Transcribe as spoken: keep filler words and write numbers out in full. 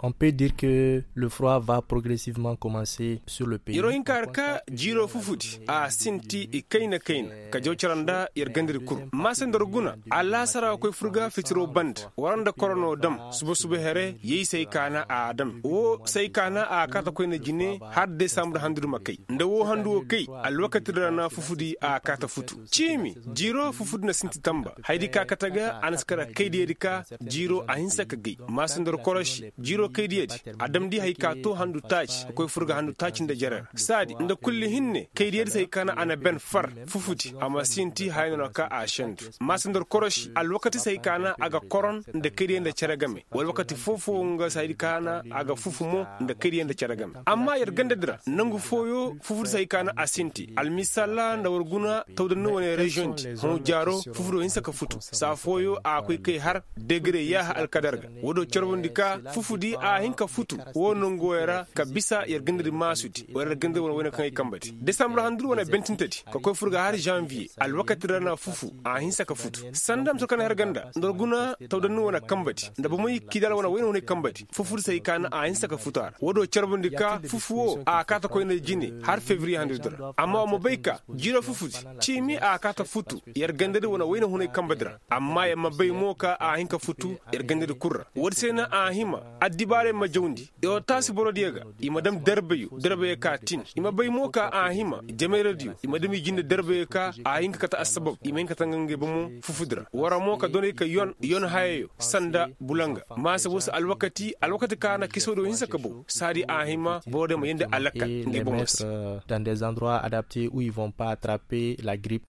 On peut dire que le froid va progressivement commencer sur le pays. Yer'o hin ka har ka jiiroo fufudi a sinti i kayna kayna ka jaw cara nda yer gandadi kul. Maase nda war guna, alaasara ga koy fur ga fitiroo banda war nda koronoo dam suba suba here. Yey se ay kaana a dam woo se ay kaana a kaata koyna jine har desambre handudi ma kay nda woo handu woo kay. Alwakati di ra na fufudi a kaata futu ciimi. Jiiroo fufudi na sinti tamba hayadi ka kate ga a na si kar kaydiyadi ka jiiroo a hinsa ka gay. Maase nda war koroši jiiroo kaydiyadi a damndi hay ka too handu taaci ka koy fur ga handu taaci nda jere ra saadi nda kulli hinne kaydiyadi se hay ka na a na ben far. Fufudi a ma sinti haya no na ka a sendu. Maase nda war koroši alwakati se hay ka na a ga koron nda kaydiyadi nda cere game wala wakati foo-foo nga se hay ka na a ga fufu mo nda kaydiyadi nda cere game. Amma yer gandadi ra nangu fooyoo fufudi se hay ka na a sinti almisaalla nda war guna tawdanni wane reziyoŋ di hõ jaaroo fufudoo hinsa ka futu saa fooyoo a koy kay har degre yaaha alkadar ga. Woodoo carbundi ka fufudi a hin ka futu woo nonguwey ra ka bisa yer gandadi maasudi wala yer gandadi wane wayne kaŋ ay kambadi desambar handudi wane bentintedi ka koy fur ga har zanviye. Alwakati ra na fufu a hinsa ka futu sanda mise kaŋ na har ganda nda war guna tawdanni wane kambadi nda bomey kiidaala wane wayne hunay kambadi fufudi se hay ka na a hinsa ka futu a ra woodoo carbundi ka fufu woo a kaata koyna jine har fevriye handudi ra amma war ma bay ka jiiroo fufudi ciimi a kaata futu yer gandadi wane wayne hunay kambadi ra. Amma yer ma bay mo ka a hin ka futu yer gandadi kul ra woodi se na a hima addibaarey ma jawndi. Yer wo taasi borodiyo ga i ma dam derbeyo derbeyo ka tin i ma bay mo ka a hima jamayradiyo i ma dam i jinde derbeyo ka a hin ka kate assabab i ma hin ka tanga ngey bomo fufudi ra war mo ka doney ka yon yon hayayo sanda bulanga maase woo se alwakati alwakati ka na kisoodiyo hinsa ka bow saadi a hima borodiyo ma yeendi alakkal ngey bomo se. Dans des endroits adaptés où ils vont pas attraper la grippe.